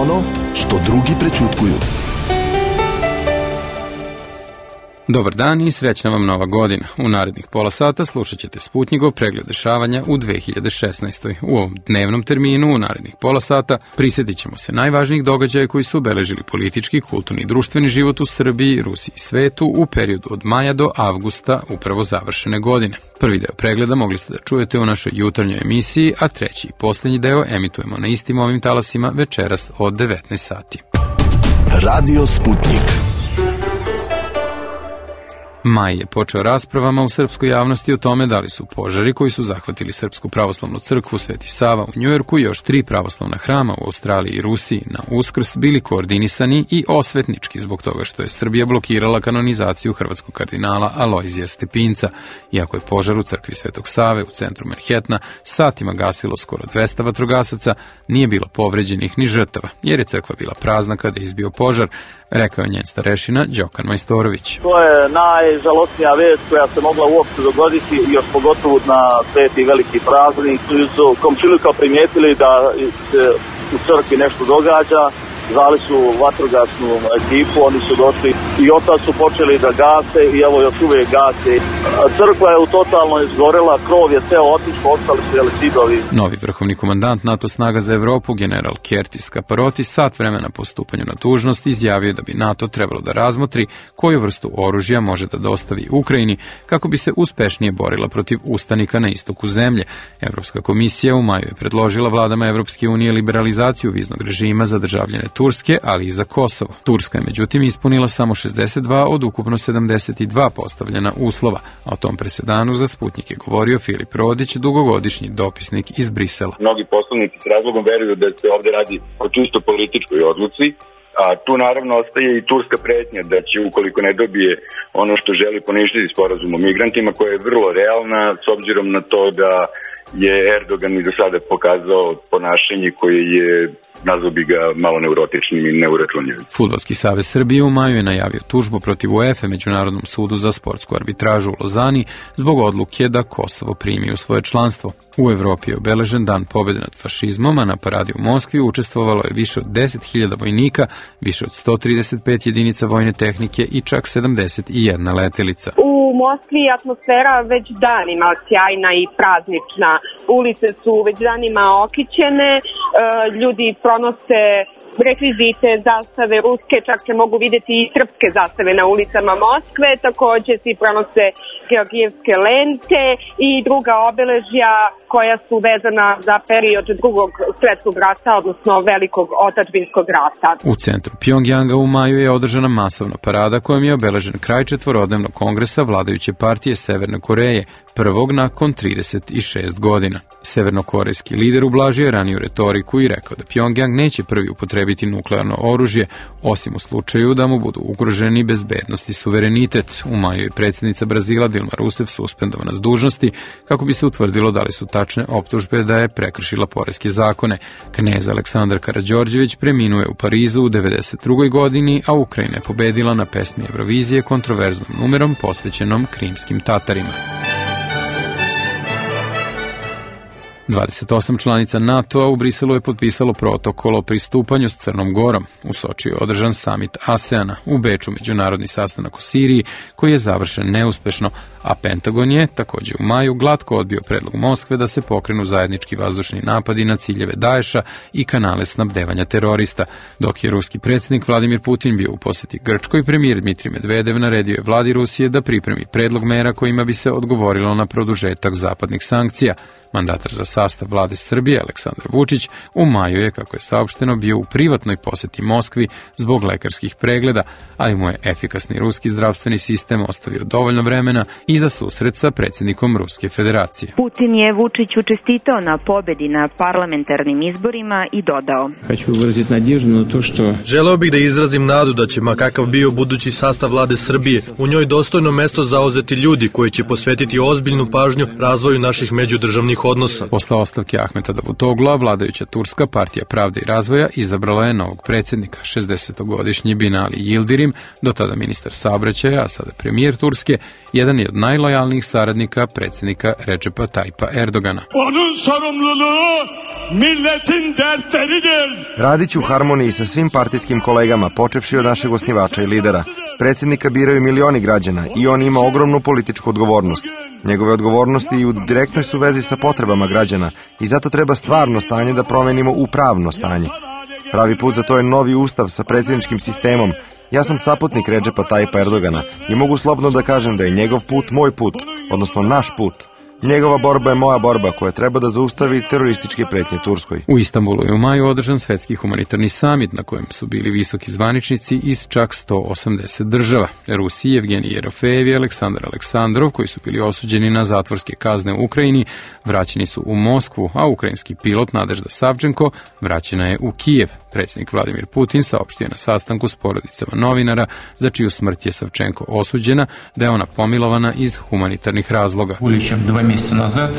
ono što drugi prećutkuju. Dobar dan i srećna vam nova godina. U narednih pola sata slušat ćete Sputnjikov pregled dešavanja u 2016. U ovom dnevnom terminu u narednih pola sata prisjetit ćemo se najvažnijih događaja koji su obeležili politički, kulturni i društveni život u Srbiji, Rusiji i svetu u periodu od maja do avgusta upravo završene godine. Prvi deo pregleda mogli ste da čujete u našoj jutarnjoj emisiji, a treći i posljednji deo emitujemo na istim ovim talasima večeras od 19 sati. Radio Sputnik. Maj je počeo raspravama u srpskoj javnosti o tome da li su požari koji su zahvatili Srpsku pravoslavnu crkvu Sveti Sava u Njujorku i još 3 pravoslavna hrama u Australiji i Rusiji na Uskrs bili koordinisani i osvetnički zbog toga što je Srbija blokirala kanonizaciju hrvatskog kardinala Alojzija Stepinca. Iako je požar u crkvi Svetog Save u centru Manhattana satima gasilo skoro 200 vatrogasaca, nije bilo povređenih ni žrtava, jer je crkva bila prazna kada je izbio požar, rekao je njen starešina Đokan Majstorović. To je najžalostnija vest koja se mogla uopšte dogoditi, još pogotovo na sveti veliki praznik. Su komšiluka primijetili da se u crkvi nešto događa, zvali su vatrogasnu ekipu, oni su došli i otad su počeli da gase i evo još uvijek gase. Crkva je totalno izgorela, krov je ceo otišao, ostali su zidovi. Novi vrhovni komandant NATO snaga za Evropu, general Kertis Kaparotis, sat vremena po stupanju na dužnost izjavio da bi NATO trebalo da razmotri koju vrstu oružja može da dostavi Ukrajini kako bi se uspešnije borila protiv ustanika na istoku zemlje. Evropska komisija u maju je predložila vladama Evropske unije liberalizaciju viznog režima za državljane Turske, ali i za Kosovo. Turska je međutim ispunila samo 62 od ukupno 72 postavljena uslova, a o tom presedanu za Sputnjik je govorio Filip Rodić, dugogodišnji dopisnik iz Brisela. Mnogi poslanici s razlogom veruju da se ovde radi o čisto političkoj odluci, a tu naravno ostaje i turska pretnja da će, ukoliko ne dobije ono što želi, poništiti sporazum o migrantima, koja je vrlo realna s obzirom na to da je Erdogan i do sada pokazao ponašanje koje je, nazvao bi ga malo neurotičnim i neuračunljivim. Fudbalski savez Srbije u maju je najavio tužbu protiv UEFA, Međunarodnom sudu za sportsku arbitražu u Lozani, zbog odluke da Kosovo primi u svoje članstvo. U Evropi je obeležen dan pobjede nad fašizmom, a na paradi u Moskvi učestvovalo je više od 10.000 vojnika, više od 135 jedinica vojne tehnike i čak 71 letelica. U Moskvi je atmosfera već danima sjajna i praznična. Ulice su već danima okićene, ljudi pronose rekvizite, zastave ruske, čak se mogu vidjeti i srpske zastave na ulicama Moskve, također svi pronose georgijevske lente i druga obeležja koja su vezana za period drugog svjetskog rata, odnosno velikog otadžbinskog rata. U centru Pjongjanga u maju je održana masovna parada kojom je obeležen kraj četvorodnevnog kongresa vladajuće partije Severne Koreje, prvog nakon 36 godina. Severnokorejski lider ublažio je raniju retoriku i rekao da Pjongjang neće prvi upotrebiti nuklearno oružje, osim u slučaju da mu budu ugroženi bezbednost i suverenitet. U maju je predsjednica Brazila Dilma Rousseff suspendovana s dužnosti kako bi se utvrdilo da li su tačne optužbe da je prekršila poreske zakone. Knez Aleksandar Karađorđević preminuo je u Parizu u 92. godini, a Ukrajina je pobedila na pesmi Eurovizije kontroverznom numerom posvećenom krimskim Tatarima. 28 članica NATO-a u Briselu je potpisalo protokol o pristupanju s Crnom Gorom. U Sočiju je održan samit ASEANA, u Beču međunarodni sastanak u Siriji koji je završen neuspešno, a Pentagon je također u maju glatko odbio predlog Moskve da se pokrenu zajednički vazdušni napadi na ciljeve Daesha i kanale snabdevanja terorista. Dok je ruski predsjednik Vladimir Putin bio u posjeti Grčkoj, premijer Dmitrij Medvedev naredio je vladi Rusije da pripremi predlog mera kojima bi se odgovorilo na produžetak zapadnih sankcija. Mandatar za sastav vlade Srbije, Aleksandar Vučić, u maju je, kako je saopšteno, bio u privatnoj posjeti Moskvi zbog lekarskih pregleda, ali mu je efikasni ruski zdravstveni sistem ostavio dovoljno vremena i za susret sa predsjednikom Ruske federacije. Putin je Vučiću čestitao na pobjedi na parlamentarnim izborima i dodao: Želeo bih da izrazim nadu da će, ma kakav bio budući sastav vlade Srbije, u njoj dostojno mesto zauzeti ljudi koji će posvetiti ozbiljnu pažnju razvoju naših međudržavnih odnosa. Po Posle ostavke Ahmeta Davutogla, vladajuća turska partija Pravde i razvoja izabrala je novog predsjednika, 60-godišnji Binali Yildirim, do tada ministar saobraćaja, a sada premijer Turske, jedan je od najlojalnijih saradnika predsjednika Recepa Tayyipa Erdogana. Radit ću u harmoniji sa svim partijskim kolegama, počevši od našeg osnivača i lidera. Predsjednika biraju milioni građana i on ima ogromnu političku odgovornost. Njegove odgovornosti i u direktnoj su vezi sa potrebama građana i zato treba stvarno stanje da promenimo u pravno stanje. Pravi put za to je novi ustav sa predsjedničkim sistemom. Ja sam saputnik Recepa Tayyipa Erdogana i mogu slobodno da kažem da je njegov put moj put, odnosno naš put. Njegova borba je moja borba koja treba da zaustavi terorističke pretnje Turskoj. U Istanbulu je u maju održan svetski humanitarni samit na kojem su bili visoki zvaničnici iz čak 180 država. Rusiji, Evgenij Yerofejev i Aleksandar Aleksandrov, koji su bili osuđeni na zatvorske kazne u Ukrajini, vraćeni su u Moskvu, a ukrajinski pilot Nadežda Savčenko vraćena je u Kijev. Predsjednik Vladimir Putin saopštio na sastanku s porodicama novinara, za čiju smrt je Savčenko osuđena, da je ona pomilovana iz humanitarnih razloga.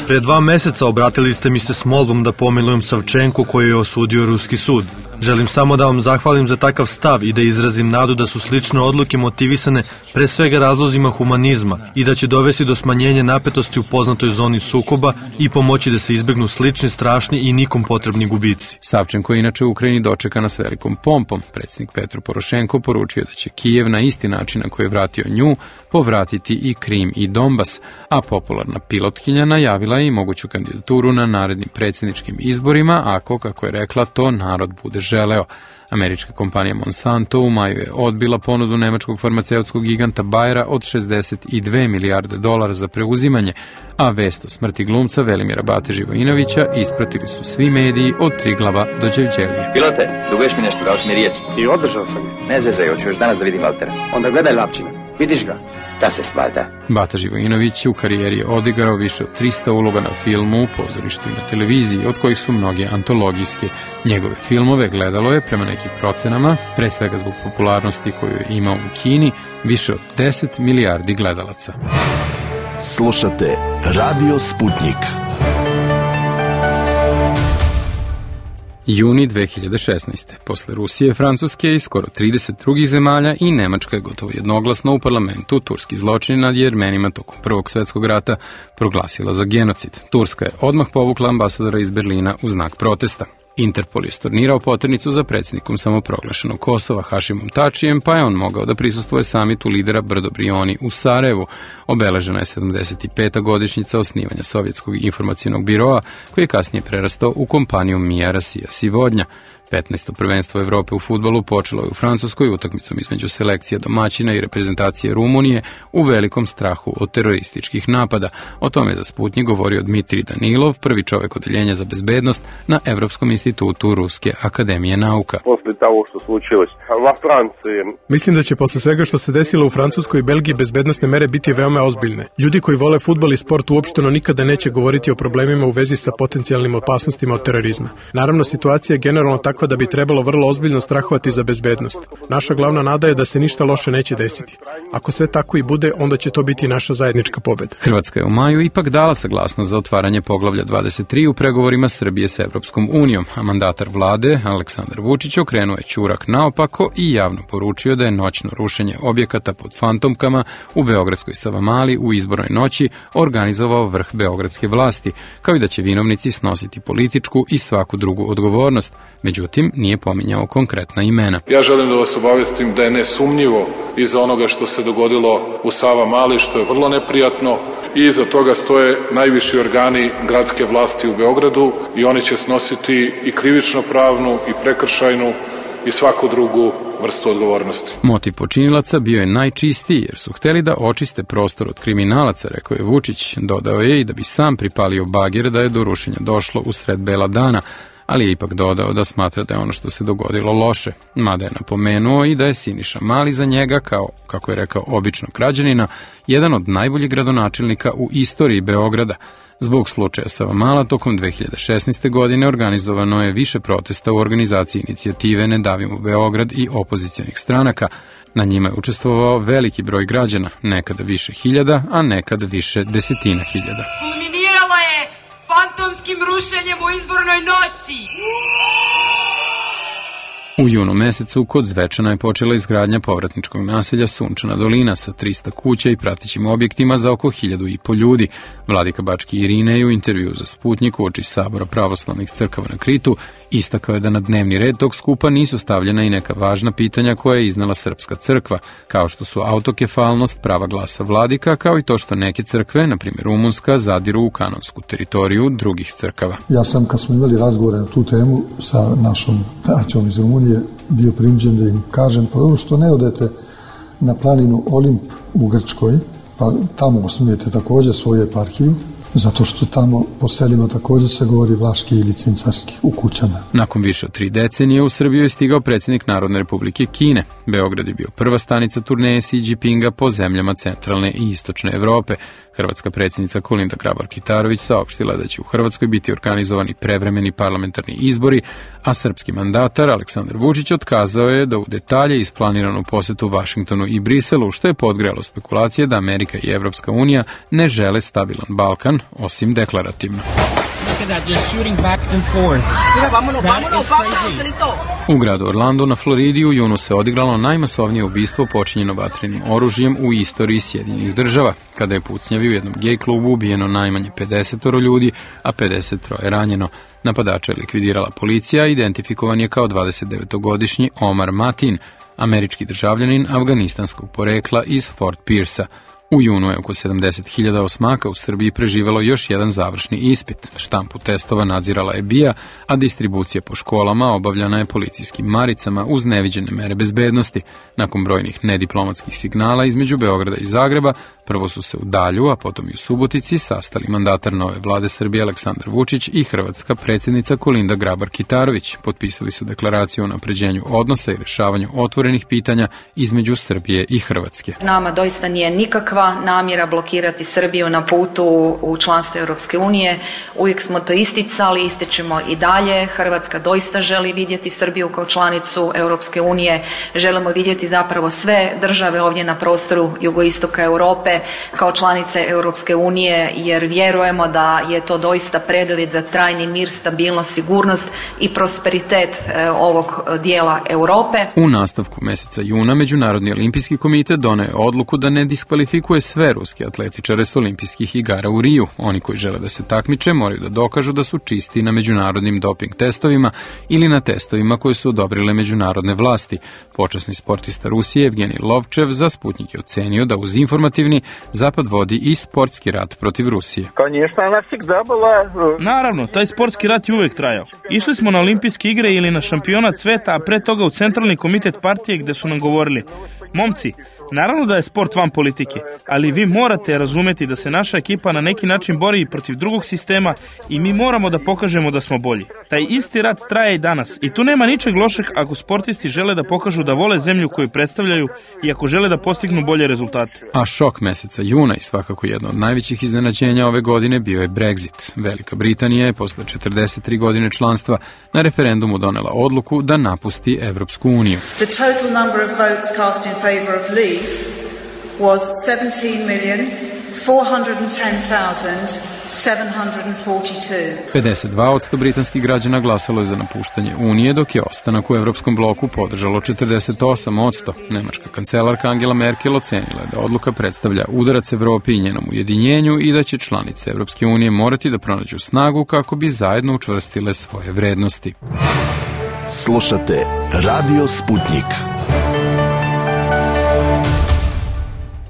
Pre 2 meseca obratili ste mi se s molbom da pomilujem Savčenku koju je osudio ruski sud. Želim samo da vam zahvalim za takav stav i da izrazim nadu da su slične odluke motivisane pre svega razlozima humanizma i da će dovesti do smanjenja napetosti u poznatoj zoni sukoba i pomoći da se izbegnu slični, strašni i nikom potrebni gubici. Savčenko je inače u Ukrajini dočekana s velikom pompom. Predsjednik Petro Porošenko poručio da će Kijev na isti način na koji je vratio nju povratiti i Krim i Donbas, a popularna pilotkinja najavila je i moguću kandidaturu na narednim predsjedničkim izborima ako, kako je rekla, to narod bude želeo. Američka kompanija Monsanto u maju je odbila ponudu nemačkog farmaceutskog giganta Bayera od $62 milijarde za preuzimanje, a vest o smrti glumca Velimira Bate Živojinovića ispratili su svi mediji od Triglava do Đevđelije. Pilote, duguješ mi nešto, dao si mi riječ. I održao sam je. Ne zezaj, hoću još danas da vidim Valtera. Onda gledaj Lapčina, vidiš ga? Da se spalda. Bata Živojinović u karijeri je odigrao više od 300 uloga na filmu, pozorištu i na televiziji, od kojih su mnoge antologijske. Njegove filmove gledalo je, prema nekim procenama, pre svega zbog popularnosti koju je imao u Kini, više od 10 milijardi gledalaca. Slušate Radio Sputnik. Juni 2016. Posle Rusije, Francuske i skoro 30 drugih zemalja i Nemačka je gotovo jednoglasno u parlamentu turski zločin nad Jermenima tokom Prvog svjetskog rata proglasila za genocid. Turska je odmah povukla ambasadora iz Berlina u znak protesta. Interpol je stornirao poternicu za predsjednikom samoproglašenog Kosova Hašimom Tačijem, pa je on mogao da prisustvuje samitu lidera Brdo Brioni u Sarajevu. Obeležena je 75. godišnjica osnivanja Sovjetskog informacionog biroa, koji je kasnije prerastao u kompaniju Mia Rasija Sivodnja. 15. prvenstvo Evrope u fudbalu počelo je u Francuskoj utakmicom između selekcija domaćina i reprezentacije Rumunije u velikom strahu od terorističkih napada. O tome je za Sputnik govorio Dmitrij Danilov, prvi čovjek odeljenja za bezbednost na Evropskom institutu Ruske akademije nauka. Mislim da će posle svega što se desilo u Francuskoj i Belgiji bezbednosne mere biti veoma ozbiljne. Ljudi koji vole fudbal i sport uopšteno nikada neće govoriti o problemima u vezi sa potencijalnim opasnostima od terorizma. Naravno, situacija je generalno takva da bi trebalo vrlo ozbiljno strahovati za bezbednost. Naša glavna nada je da se ništa loše neće desiti. Ako sve tako i bude, onda će to biti naša zajednička pobjeda. Hrvatska je u maju ipak dala saglasnost za otvaranje poglavlja 23 u pregovorima Srbije s Evropskom unijom, a mandatar vlade, Aleksandar Vučić, okrenuo je ćurak naopako i javno poručio da je noćno rušenje objekata pod fantomkama u beogradskoj Savamali u izbornoj noći organizovao vrh beogradske vlasti, kao i da će vinovnici snositi političku i svaku drugu odgovornost. Međutim, nije pominjao konkretna imena. Ja želim da vas obavestim da je nesumnjivo iza onoga što se dogodilo u Savamali, što je vrlo neprijatno, i iza toga stoje najviši organi gradske vlasti u Beogradu i oni će snositi i krivično pravnu i prekršajnu i svaku drugu vrstu odgovornosti. Motiv počinilaca bio je najčistiji jer su hteli da očiste prostor od kriminalaca, rekao je Vučić. Dodao je i da bi sam pripalio bagir da je do rušenja došlo usred bela dana, ali je ipak dodao da smatra da je ono što se dogodilo loše, mada je napomenuo i da je Siniša Mali za njega, kao, kako je rekao, običnog građanina, jedan od najboljih gradonačelnika u istoriji Beograda. Zbog slučaja Savamala tokom 2016. godine organizovano je više protesta u organizaciji inicijative Ne davimo Beograd i opozicionih stranaka. Na njima je učestvovao veliki broj građana, nekada više hiljada, a nekada više desetina hiljada. Kulminiralo je fantomskim brušenjem u izbornoj noći. U junu mesecu kod Zvečana je počela izgradnja povratničkog naselja Sunčana dolina sa 300 kuća i pratećim objektima za oko 1.500 ljudi. Vladika Bački Irine je u intervju za Sputnik uoči Sabora pravoslavnih crkava na Kritu istakao je da na dnevni red tog skupa nisu stavljena i neka važna pitanja koje je iznala Srpska crkva, kao što su autokefalnost, prava glasa vladika, kao i to što neke crkve, na primjer rumunska, zadiru u kanonsku teritoriju drugih crkava. Ja sam, kad smo imali razgovore na tu temu sa našom braćom iz Rumunije, bio prinuđen da im kažem, pa dobro što ne odete na planinu Olimp u Grčkoj, pa tamo osnujete također svoju eparhiju, zato što tamo po selima također se govori vlaški ili cincarski u kućama. Nakon više od 3 decenije u Srbiju je stigao predsjednik Narodne republike Kine. Beograd je bio prva stanica turneje Xi Jinpinga po zemljama centralne i istočne Evrope. Hrvatska predsjednica Kolinda Grabar-Kitarović saopštila da će u Hrvatskoj biti organizovani prevremeni parlamentarni izbori, a srpski mandatar Aleksandar Vučić otkazao je da u detalje isplaniranu posetu Vašingtonu i Briselu, što je podgrejalo spekulacije da Amerika i Evropska unija ne žele stabilan Balkan, osim deklarativno. U gradu Orlando na Floridi u junu se odigralo najmasovnije ubistvo počinjeno vatrenim oružjem u istoriji Sjedinjenih država, kada je pucnjavi u jednom gej klubu ubijeno najmanje 50 ljudi, a 53 ranjeno. Napadača je likvidirala policija, identifikovan je kao 29-godišnji Omar Matin, američki državljanin afganistanskog porekla iz Fort Pierce-a. U junu je oko 70.000 osmaka u Srbiji preživelo još jedan završni ispit. Štampu testova nadzirala je BIA, a distribucija po školama obavljana je policijskim maricama uz neviđene mere bezbednosti. Nakon brojnih nediplomatskih signala između Beograda i Zagreba, prvo su se u Dalju, a potom i u Subotici sastali mandatar nove vlade Srbije Aleksandar Vučić i hrvatska predsjednica Kolinda Grabar-Kitarović. Potpisali su deklaraciju o unapređenju odnosa i rešavanju otvorenih pitanja između Srbije i Hrvatske. Nama doista nije nikakva namjera blokirati Srbiju na putu u članstvo Europske unije. Uvijek smo to isticali, ističemo i dalje. Hrvatska doista želi vidjeti Srbiju kao članicu Europske unije. Želimo vidjeti zapravo sve države ovdje na prostoru jugoistoka Europe kao članice Europske unije, jer vjerujemo da je to doista preduvjet za trajni mir, stabilnost, sigurnost i prosperitet ovog dijela Europe. U nastavku mjeseca juna Međunarodni olimpijski komitet doneo je odluku da ne diskvalifikuje sve ruske atletičare s olimpijskih igara u Riju. Oni koji žele da se takmiče moraju da dokažu da su čisti na međunarodnim doping testovima ili na testovima koje su odobrile međunarodne vlasti. Počasni sportista Rusije Evgenij Lovčev za Sputnik je ocenio da uz informativni Zapad vodi i sportski rat protiv Rusije. Naravno, taj sportski rat je uvijek trajao. Išli smo na olimpijske igre ili na šampionat sveta, a pre toga u centralni komitet partije gdje su nam govorili: momci, naravno da je sport van politike, ali vi morate razumjeti da se naša ekipa na neki način bori protiv drugog sistema i mi moramo da pokažemo da smo bolji. Taj isti rat traje i danas i tu nema ničeg lošeg ako sportisti žele da pokažu da vole zemlju koju predstavljaju i ako žele da postignu bolje rezultate. A šok mjeseca juna i svakako jedno od najvećih iznenađenja ove godine bio je Brexit. Velika Britanija je posle 43 godine članstva na referendumu donela odluku da napusti Evropsku uniju. The total number of votes cast in favor of leave was 17,410,742. 52% britanskih građana glasalo je za napuštanje Unije, dok je ostanak u Evropskom bloku podržalo 48%. Nemačka kancelarka Angela Merkel ocenila je da odluka predstavlja udarac Evropi i njenom ujedinjenju i da će članice Evropske unije morati da pronađu snagu kako bi zajedno učvrstile svoje vrednosti. Slušate Radio Sputnik.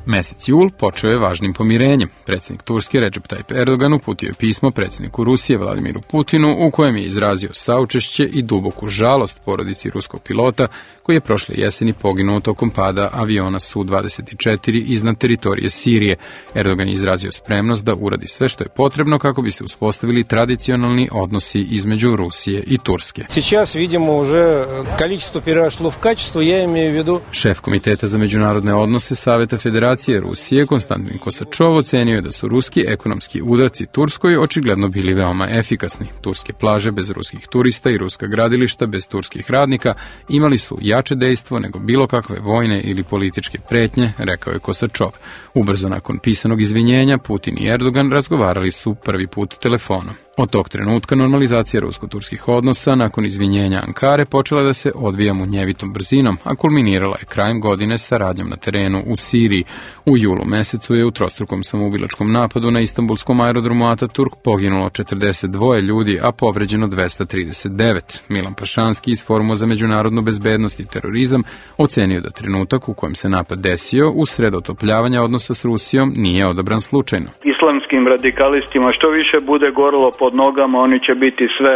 Mesec jul počeo je važnim pomirenjem. Predsjednik Turske Recep Tayyip Erdogan uputio je pismo predsjedniku Rusije Vladimiru Putinu u kojem je izrazio saučešće i duboku žalost porodici ruskog pilota koji je prošle jeseni poginuo tokom pada aviona Su-24 iznad teritorije Sirije. Erdogan je izrazio spremnost da uradi sve što je potrebno kako bi se uspostavili tradicionalni odnosi između Rusije i Turske. Сейчас vidimo уже количество перешло в качество, я имею в виду. Šef Komiteta za međunarodne odnose Saveta Federacije Rusije Konstantin Kosačov ocenio je da su ruski ekonomski udarci Turskoj očigledno bili veoma efikasni. Turske plaže bez ruskih turista i ruska gradilišta bez turskih radnika imali su jače dejstvo nego bilo kakve vojne ili političke pretnje, rekao je Kosačov. Ubrzo nakon pisanog izvinjenja, Putin i Erdogan razgovarali su prvi put telefonom. Od tog trenutka normalizacija rusko-turskih odnosa nakon izvinjenja Ankare počela da se odvija munjevitom brzinom, a kulminirala je krajem godine saradnjom na terenu u Siriji. U julu mesecu je u trostrukom samoubilačkom napadu na istanbulskom aerodromu Ataturk poginulo 42 ljudi, a povređeno 239. Milan Pašanski iz Foruma za međunarodnu bezbednost i terorizam ocenio da trenutak u kojem se napad desio usred otopljavanja odnosa s Rusijom nije odabran slučajno. Islamskim radikalistima što više bude gorilo pod nogama, oni će biti sve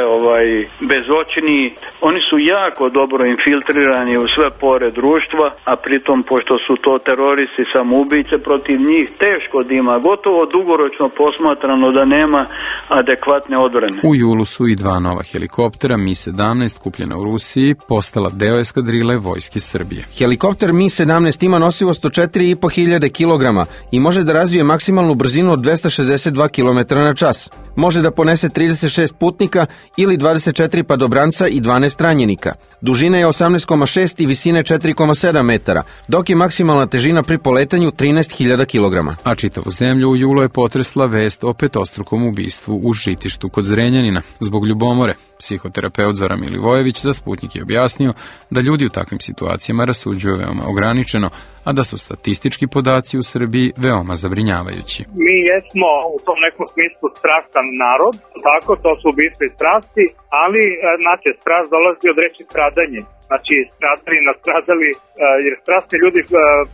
bezočni. Oni su jako dobro infiltrirani u sve pore društva, a pritom pošto su to teroristi samoubice, protiv njih teško da ima, gotovo dugoročno posmatrano da nema adekvatne odbrane. U julu su i 2 nova helikoptera Mi-17 kupljena u Rusiji postala deo eskadrile vojske Srbije. Helikopter Mi-17 ima nosivost od 4.500 kg i može da razvije maksimalnu brzinu od 262 km na čas. Može da ponese 36 putnika ili 24 padobranca i 12 ranjenika. Dužina je 18,6 i visine 4,7 metara, dok je maksimalna težina pri poletanju 13.000 kg. A čitavu zemlju u julu je potresla vest o petostrukom ubistvu u Žitištu kod Zrenjanina zbog ljubomore. Psihoterapeut Zoran Milivojević za Sputnik je objasnio da ljudi u takvim situacijama rasuđuju veoma ograničeno, a da su statistički podaci u Srbiji veoma zabrinjavajući. Mi jesmo u tom nekom smislu strastan narod, tako, to su ubistva i strasti, ali znači, strast dolazi od reči stradanje. Znači, stradali, nastradali, jer strasni ljudi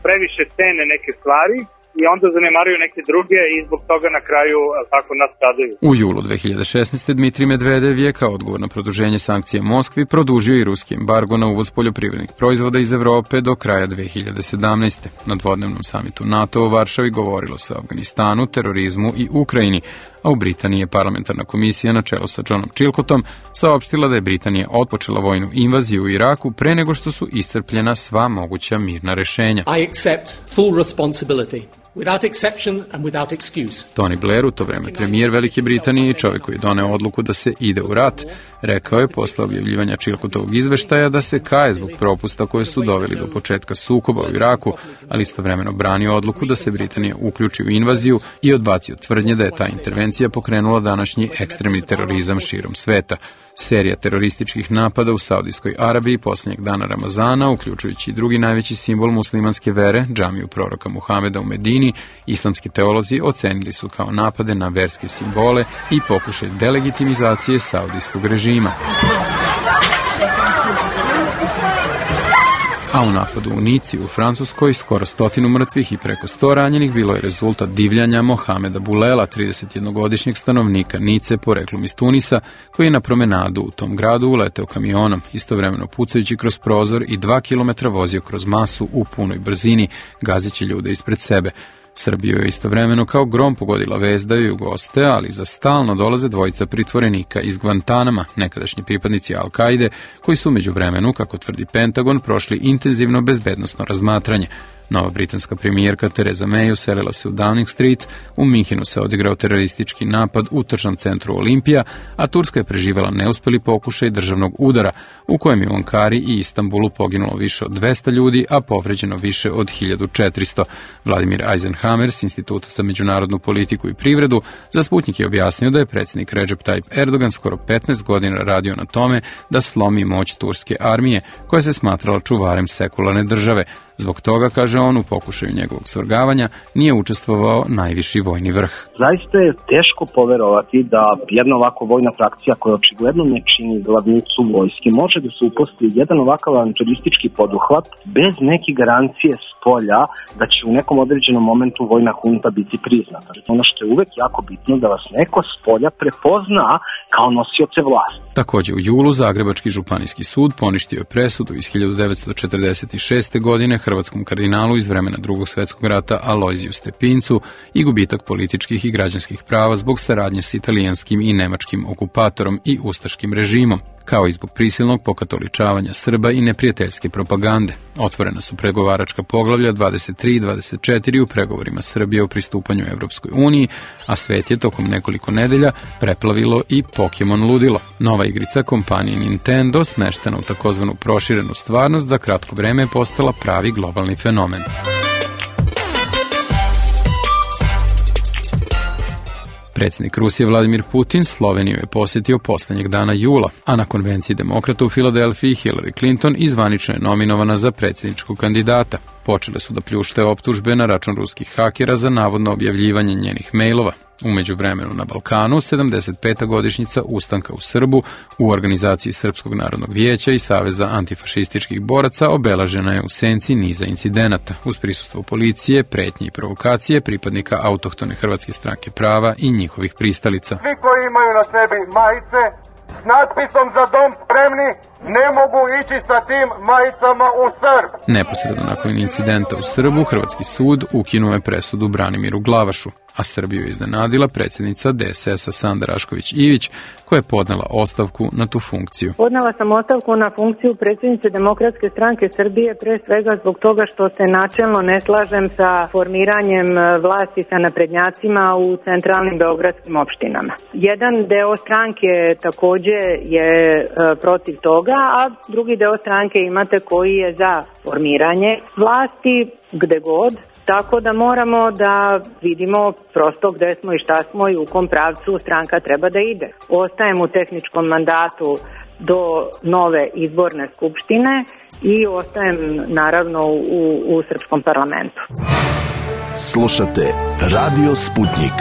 previše cene neke stvari i onda zanemaruju neke druge i zbog toga na kraju tako nastradaju. U julu 2016. Dmitrij Medvedev je kao odgovor na produženje sankcija Moskvi produžio i ruski embargo na uvoz poljoprivrednih proizvoda iz Evrope do kraja 2017. Na dvodnevnom samitu NATO u Varšavi govorilo se o Afganistanu, terorizmu i Ukrajini, a u Britaniji je parlamentarna komisija na čelu sa Johnom Chilcotom saopštila da je Britanija otpočela vojnu invaziju u Iraku pre nego što su iscrpljena sva moguća mirna rešenja. I accept full responsibility. Without exception and without excuse. Tony Blair, u to vreme premijer Velike Britanije i čovjek koji je doneo odluku da se ide u rat, rekao je posle objavljivanja Chilcotovog izveštaja da se kaje zbog propusta koje su doveli do početka sukoba u Iraku, ali istovremeno branio odluku da se Britanija uključi u invaziju i odbacio tvrdnje da je ta intervencija pokrenula današnji ekstremni terorizam širom sveta. Serija terorističkih napada u Saudijskoj Arabiji posljednjeg dana Ramazana, uključujući i drugi najveći simbol muslimanske vere, džamiju proroka Muhameda u Medini, islamski teolozi ocenili su kao napade na verske simbole i pokušaj delegitimizacije saudijskog režima. A u napadu u Nici u Francuskoj skoro 100 mrtvih i preko 100 ranjenih bilo je rezultat divljanja Mohameda Bulela, 31-godišnjeg stanovnika Nice poreklom iz Tunisa, koji je na promenadu u tom gradu uleteo kamionom, istovremeno pucajući kroz prozor i 2 kilometra vozio kroz masu u punoj brzini, gazeći ljude ispred sebe. Srbiju je istovremeno kao grom pogodila vest da ju goste, ali za stalno dolaze dvojica pritvorenika iz Guantanama, nekadašnji pripadnici Al-Kaide, koji su međuvremenu, kako tvrdi Pentagon, prošli intenzivno bezbednosno razmatranje. Nova britanska premijerka Theresa May uselila se u Downing Street, u Minhenu se odigrao teroristički napad u tržnom centru Olimpija, a Turska je preživela neuspeli pokušaj državnog udara, u kojem je u Ankari i Istanbulu poginulo više od 200 ljudi, a povređeno više od 1400. Vladimir Eisenhower s Instituta za međunarodnu politiku i privredu za Sputnik je objasnio da je predsjednik Recep Tayyip Erdogan skoro 15 godina radio na tome da slomi moć turske armije, koja se smatrala čuvarem sekularne države. Zbog toga, kaže on, u pokušaju njegovog svrgavanja nije učestvovao najviši vojni vrh. Zaista je teško poverovati da jedna ovako vojna frakcija koja očigledno ne čini glavnicu vojske može da se uposti jedan ovakav avanturistčki poduhvat bez neke garancije spolja da će u nekom određenom momentu vojna hunta biti priznata. Ono što je uvek jako bitno da vas neko spolja prepozna kao nosioce vlasti. Također u julu Zagrebački županijski sud poništio je presudu iz 1946. godine hrvatskom kardinalu iz vremena Drugog svjetskog rata Alojziju Stepincu i gubitak političkih i građanskih prava zbog saradnje s italijanskim i nemačkim okupatorom i ustaškim režimom, kao i zbog prisilnog pokatoličavanja Srba i neprijateljske propagande. Otvorena su pregovaračka poglavlja 23 i 24 u pregovorima Srbije o pristupanju Evropskoj uniji, a svet je tokom nekoliko nedelja preplavilo i Pokemon ludilo. Nova igrica kompanije Nintendo, smeštena u takozvanu proširenu stvarnost, za kratko vreme je postala pravi globalni fenomen. Predsjednik Rusije Vladimir Putin Sloveniju je posjetio poslednjeg dana jula, a na konvenciji demokrata u Filadelfiji Hillary Clinton izvanično je nominovana za predsjedničkog kandidata. Počele su da pljušte optužbe na račun ruskih hakera za navodno objavljivanje njenih mailova. U međuvremenu na Balkanu 75. godišnjica ustanka u Srbu u organizaciji Srpskog narodnog vijeća i Saveza antifašističkih boraca obeležena je u senci niza incidenata uz prisustvo policije, pretnje i provokacije pripadnika autohtone Hrvatske stranke prava i njihovih pristalica. Svi koji imaju na sebi majice s natpisom za dom spremni ne mogu ići sa tim majicama u Srb. Neposredno nakon incidenta u Srbu, Hrvatski sud ukinuo je presudu Branimiru Glavašu, a Srbiju je iznenadila predsjednica DSS-a Sanda Rašković-Ivić, koja je podnela ostavku na tu funkciju. Podnela sam ostavku na funkciju predsjednice Demokratske stranke Srbije pre svega zbog toga što se načelno ne slažem sa formiranjem vlasti sa naprednjacima u centralnim beogradskim opštinama. Jedan deo stranke takođe je protiv toga, a drugi deo stranke imate koji je za formiranje vlasti gde god. Tako da moramo da vidimo prosto gde smo i šta smo i u kom pravcu stranka treba da ide. Ostajem u tehničkom mandatu do nove izborne skupštine i ostajem naravno u Srpskom parlamentu. Slušate Radio Sputnik.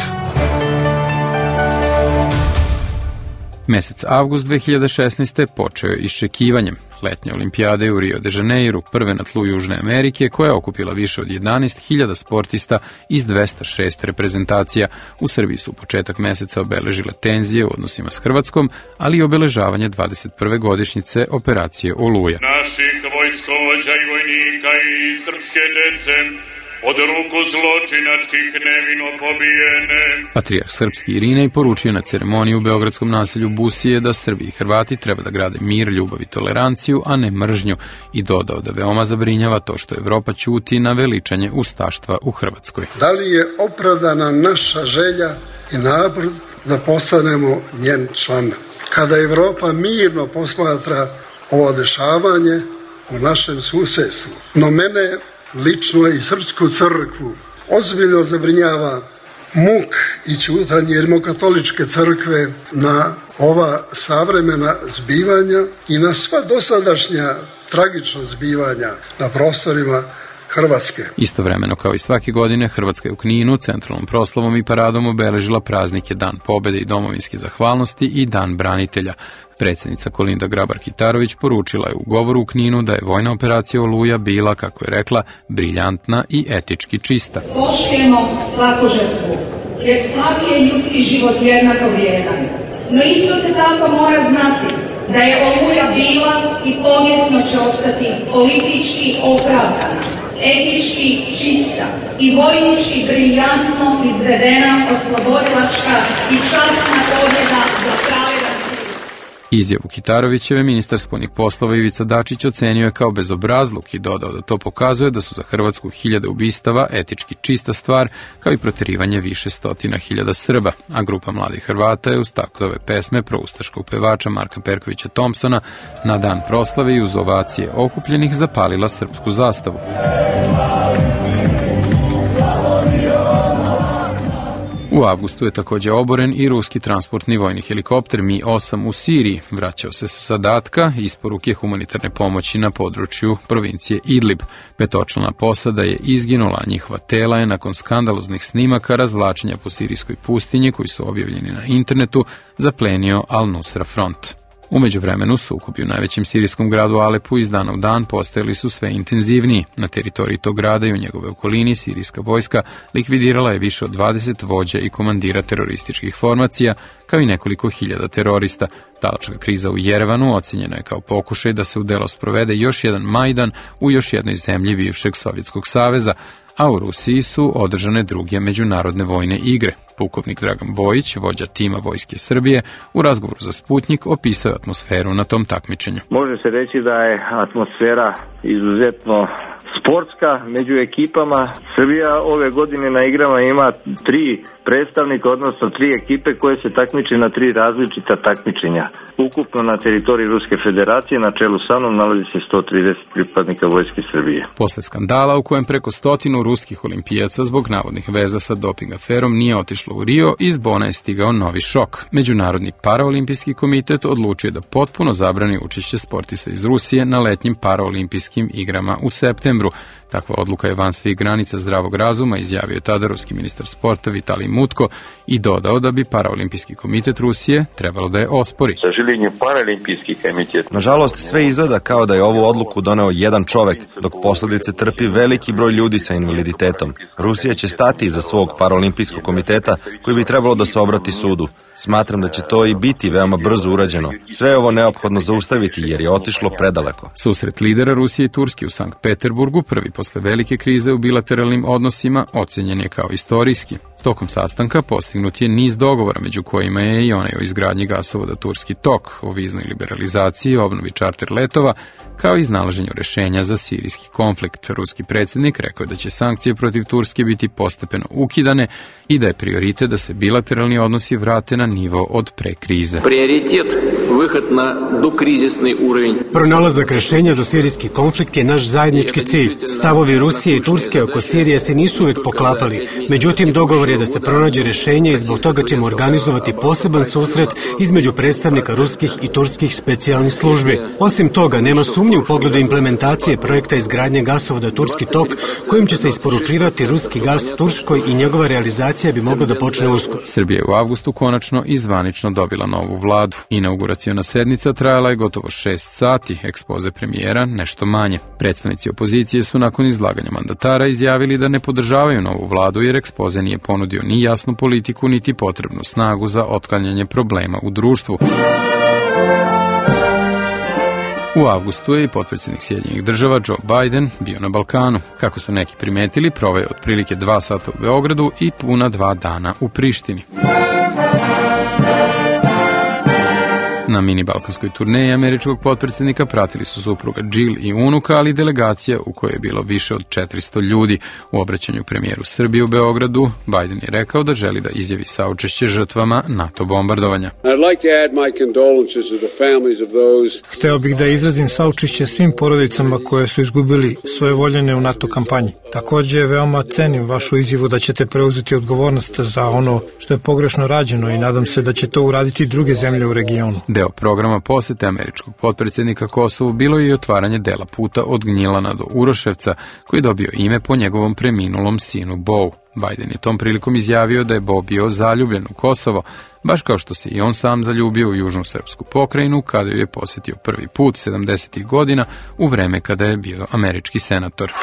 Mesec avgust 2016. počeo je iščekivanjem letnje olimpijade u Rio de Janeiro, prve na tlu Južne Amerike, koja je okupila više od 11.000 sportista iz 206 reprezentacija. U Srbiji su početak meseca obeležile tenzije u odnosima s Hrvatskom, ali i obeležavanje 21. godišnjice operacije Oluja. Naših vojskovođa i vojnika i srpske dece od ruku zločinačkih nevino pobijene. Patrijarh srpski Irinej poručio na ceremoniji u beogradskom naselju Busije da Srbi i Hrvati treba da grade mir, ljubav i toleranciju, a ne mržnju, i dodao da veoma zabrinjava to što Evropa ćuti na veličanje ustaštva u Hrvatskoj. Da li je opravdana naša želja i napor da postanemo njen član? Kada Evropa mirno posmatra ovo dešavanje u našem susedstvu, no mene lično i Srpsku crkvu ozbiljno zabrinjava muk i ćutanje Rimokatoličke crkve na ova savremena zbivanja i na sva dosadašnja tragična zbivanja na prostorima Hrvatske. Istovremeno kao i svake godine, Hrvatska je u Kninu centralnom proslavom i paradom obeležila praznike Dan pobede i domovinske zahvalnosti i Dan branitelja. Predsjednica Kolinda Grabar-Kitarović poručila je u govoru u Kninu da je vojna operacija Oluja bila, kako je rekla, briljantna i etički čista. Poštujemo svaku žrtvu, jer svaki je ljudski život jednako vrijedan. No isto se tako mora znati da je Oluja bila i povijesno će ostati politički opravdana, etički čista i vojnički briljantno izvedena oslobodilačka i časna pobjeda za pravedan. Izjavu Kitarovićeve ministar spoljnih poslova Ivica Dačić ocenio je kao bezobrazluk i dodao da to pokazuje da su za Hrvatsku 1000 ubistava etički čista stvar, kao i proterivanje više stotina hiljada Srba, a grupa mladih Hrvata je uz taktove pesme proustaškog pevača Marka Perkovića Thompsona na dan proslave i uz ovacije okupljenih zapalila srpsku zastavu. U avgustu je također oboren i ruski transportni vojni helikopter Mi-8 u Siriji. Vraćao se sa zadatka isporuke humanitarne pomoći na području provincije Idlib. 5-člana posada je izginula, a njihova tela je nakon skandaloznih snimaka razvlačenja po sirijskoj pustinji koji su objavljeni na internetu zaplenio Al-Nusra front. U međuvremenu sukobi u najvećem sirijskom gradu Alepu iz dana u dan postajali su sve intenzivniji. Na teritoriji tog grada i u njegove okolini sirijska vojska likvidirala je više od 20 vođa i komandira terorističkih formacija, kao i nekoliko hiljada terorista. Talačka kriza u Jerevanu ocjenjena je kao pokušaj da se u delo sprovede još jedan Majdan u još jednoj zemlji bivšeg Sovjetskog saveza, a u Rusiji su održane druge međunarodne vojne igre. Pukovnik Dragan Bojić, vođa tima Vojske Srbije, u razgovoru za Sputnik opisao je atmosferu na tom takmičenju. Može se reći da je atmosfera izuzetno sportska među ekipama. Srbija ove godine na igrama ima 3 predstavnika, odnosno 3 ekipe koje se takmiči na 3 različita takmičenja. Ukupno na teritoriji Ruske federacije na čelu sa mnom nalazi se 130 pripadnika Vojske Srbije. Posle skandala u kojem preko 100 ruskih olimpijaca zbog navodnih veza sa doping aferom nije otišlo u Rio, iz Bona je stigao novi šok. Međunarodni paraolimpijski komitet odlučio da potpuno zabrani učešće sportista iz Rusije na letnjim paraolimpijskim igrama u septembru. Takva odluka je van svih granica zdravog razuma, izjavio je tada ruski ministar sporta Vitalij Mutko i dodao da bi paraolimpijski komitet Rusije trebalo da je ospori. Nažalost, sve izgleda kao da je ovu odluku doneo jedan čovek, dok posledice trpi veliki broj ljudi sa invaliditetom. Rusija će stati iza svog paraolimpijskog komiteta koji bi trebalo da se obrati sudu. Smatram da će to i biti veoma brzo urađeno. Sve je ovo neophodno zaustaviti jer je otišlo predaleko. Susret lidera Rusije i Turske u Sankt Peterburgu, prvi posle velike krize u bilateralnim odnosima, ocenjen je kao istorijski. Tokom sastanka postignut je niz dogovora, među kojima je i onaj o izgradnji gasovoda Turski tok, o viznoj liberalizaciji, obnovi čarter letova, kao i iznalaženju rešenja za sirijski konflikt. Ruski predsjednik rekao je da će sankcije protiv Turske biti postepeno ukidane i da je prioritet da se bilateralni odnosi vrate na nivo od pre krize. Prioritet vyhod na dokrizisni urovinj. Pronalazak rešenja za sirijski konflikt je naš zajednički cilj. Stavovi Rusije i Turske oko Sirije se nisu uvek poklapali. Međutim, dogovor je da se pronađe rešenje i zbog toga ćemo organizovati poseban susret između predstavnika ruskih i turskih specijalnih službi. Osim toga, nema sumnje u pogledu implementacije projekta izgradnje gasovoda Turski tok, kojim će se isporučivati ruski gas Turskoj i njegova realizacija bi mogla da počne uskoro. Srbija je u avgustu konačno i zvanično dobila novu vladu. Inauguraciona sednica trajala je gotovo 6 sati, ekspoze premijera nešto manje. Predstavnici opozicije su nakon izlaganja mandatara izjavili da ne podržavaju novu vladu jer ekspoze nije ponudio ni jasnu politiku, niti potrebnu snagu za otklanjanje problema u društvu. U avgustu je i potpredsjednik Sjedinjenih država Joe Biden bio na Balkanu. Kako su neki primetili, proveo je otprilike 2 sata u Beogradu i puna 2 dana u Prištini. Na mini balkanskoj turneji američkog potpredsjednika pratili su supruga Jill i unuka, ali delegacija u kojoj je bilo više od 400 ljudi. U obraćanju premijeru Srbije u Beogradu, Biden je rekao da želi da izjavi saučešće žrtvama NATO bombardovanja. Hteo bih da izrazim saučešće svim porodicama koje su izgubili svoje voljene u NATO kampanji. Takođe, veoma cenim vašu izjavu da ćete preuzeti odgovornost za ono što je pogrešno rađeno i nadam se da će to uraditi druge zemlje u regionu. Deo programa posete američkog potpredsjednika Kosovu bilo je i otvaranje dela puta od Gnjilana do Uroševca, koji je dobio ime po njegovom preminulom sinu Bou. Biden je tom prilikom izjavio da je Bo bio zaljubljen u Kosovo, baš kao što se i on sam zaljubio u južnu srpsku pokrajinu kada ju je posjetio prvi put 70. godina u vreme kada je bio američki senator.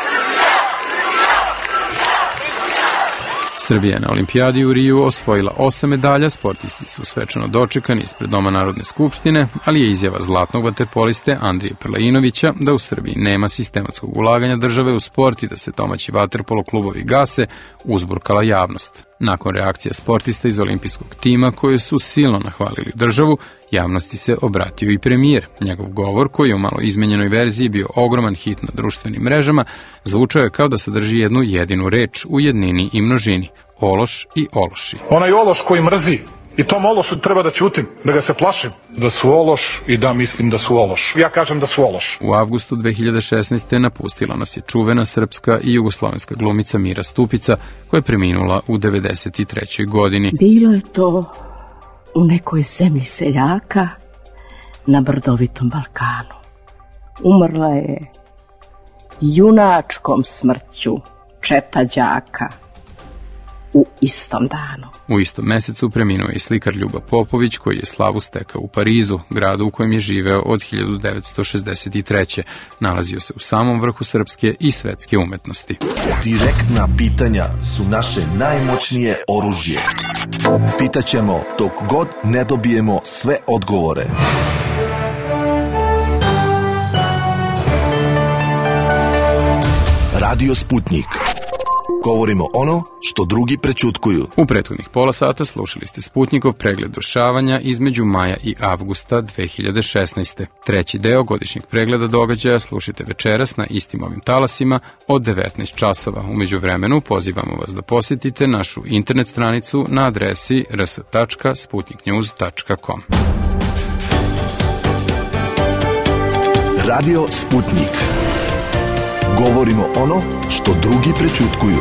Srbija je na olimpijadi u Riju osvojila 8 medalja, sportisti su svečano dočekani ispred Doma Narodne skupštine, ali je izjava zlatnog vaterpoliste Andrije Prlejinovića da u Srbiji nema sistematskog ulaganja države u sport i da se domaći vaterpolo klubovi gase, uzburkala javnost. Nakon reakcija sportista iz olimpijskog tima koji su silno nahvalili državu, javnosti se obratio i premijer. Njegov govor, koji je u malo izmenjenoj verziji bio ogroman hit na društvenim mrežama, zvučao je kao da sadrži jednu jedinu reč u jednini i množini. Ološ i ološi. Onaj ološ koji mrzi, i tom ološu treba da ćutim, da ga se plašim, da su ološ i da mislim da su ološ. Ja kažem da su ološ. U avgustu 2016. napustila nas je čuvena srpska i jugoslovenska glumica Mira Stupica, koja je preminula u 93. godini. Bilo je to u nekoj zemlji seljaka na brdovitom Balkanu. Umrla je junačkom smrću četa đaka u istom danu. U istom mesecu preminuo je i slikar Ljuba Popović, koji je slavu stekao u Parizu, gradu u kojem je živeo od 1963. Nalazio se u samom vrhu srpske i svetske umetnosti. Direktna pitanja su naše najmoćnije oružje. Pitaćemo dok god ne dobijemo sve odgovore. Radio Sputnik. Govorimo ono što drugi prećutkuju. U prethodnih pola sata slušali ste Sputnikov pregled dešavanja između maja i avgusta 2016. Treći deo godišnjeg pregleda događaja slušajte večeras na istim ovim talasima od 19 časova. U međuvremenu pozivamo vas da posjetite našu internet stranicu na adresi rs.sputniknews.com. Radio Sputnik. Govorimo ono što drugi prećutkuju.